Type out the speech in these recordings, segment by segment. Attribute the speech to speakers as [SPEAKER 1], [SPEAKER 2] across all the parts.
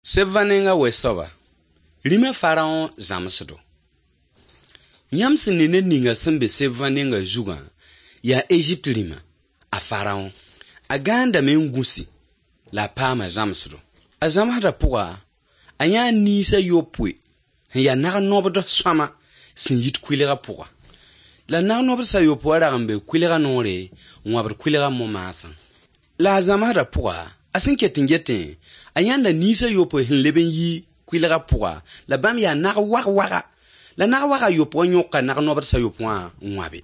[SPEAKER 1] Sebva nenga we-soaba, rĩmã faraõ zãmsdo. Yãmb sẽn ne ned ninga sẽn be sebvã nenga zugã yaa Ezipt rĩma, a faraõ. A gãandame n gũsi la a paama zãmsdo. A zãmsdã pʋga, a yãa niis a yopoe sẽn yaa nag-nobd sõama sẽn yit kʋɩlgã pʋga. La nag-nobds a yopoe wã rag n be kʋɩlgã noore n wãbd kʋɩlgã mo-maasã. La a zãmsdã pʋga, a sẽn ket n getẽ, a yãnda niis a yopoe sẽn leb n yi kʋɩlgã pʋga la bãmb yaa nag-wag-waga. La nag-waga yopoe wã yõka nag-nobds a yopoe wã n wãbe.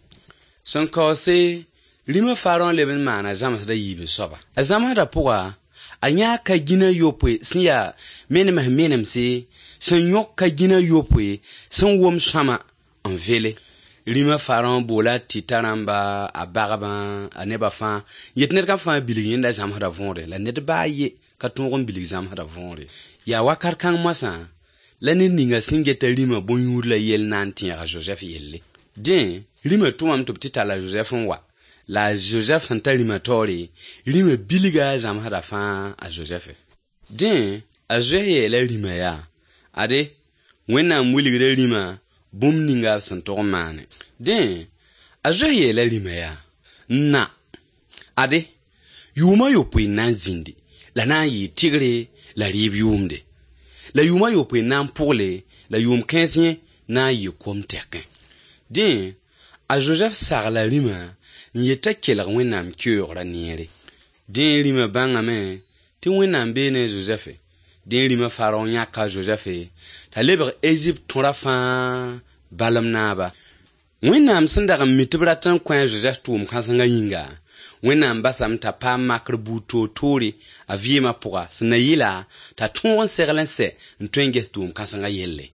[SPEAKER 1] Sẽn kaoose, rĩmã faraõ leb n maana zãmsdã yiib soaba. A zãmsdã pʋga, a yãa ka-gĩna yopoe sẽn yaa menems menemse sẽn yõk ka-gĩna yopoe sẽn wom sõama n vele. Rĩmã faraõ boola a tɩta rãmba, a bagbã, a nebã fãa n yet ned kam fãa bilg yẽnda zãmsdã võore la ned baa a ye ka tõog n bilg zãmsdã võore. Yaa wakat kãng moasã la ned ninga sẽn geta rĩmã bõn-yũud la yell na n tẽeg a Zozɛf yelle. Dẽ, rĩmã tʋmame tɩ b tɩ tall a Zozɛf n wa. La a Zozɛf sẽn ta rĩmã taoore, rĩmã bilga a zãmsdã fãa a Zozɛfe. Dẽ, a Zozɛf yeela rĩmã yaa: Ade, Wẽnnaam wilgda rĩmã bũmb ninga b sẽn tog n maane. Dẽ, a Zozɛf yeela rĩmã yaa: Na, ade, yʋʋm a yopoe n na n zĩndi, la na n yɩɩ tɩgre la rɩɩb yʋʋmde. La yʋʋm a yopoe n na n pʋgle, la yʋʋm kãens yẽ na n yɩ kom tɛkẽ. Dẽ, a Zozɛf sagla rĩmã n yet t'a kelg Wẽnnaam keoogrã neere. Dẽ rĩmã bãngame tɩ Wẽnnaam bee ne a Zozɛfe. Dẽ rĩmã faraõ yãka a Zozɛfe t'a lebg Ezipt tõra fãa balem naaba. Wẽnnaam sẽn dag n mi tɩ b rat n kõ a Zozɛf tʋʋm kãsengã yĩnga, Wẽnnaam basame t'a paam makr buud toor-toore a vɩɩmã pʋga sẽn na yɩla t'a tõog n segl n sɛ n tõe n ges tʋʋm kãsengã yelle.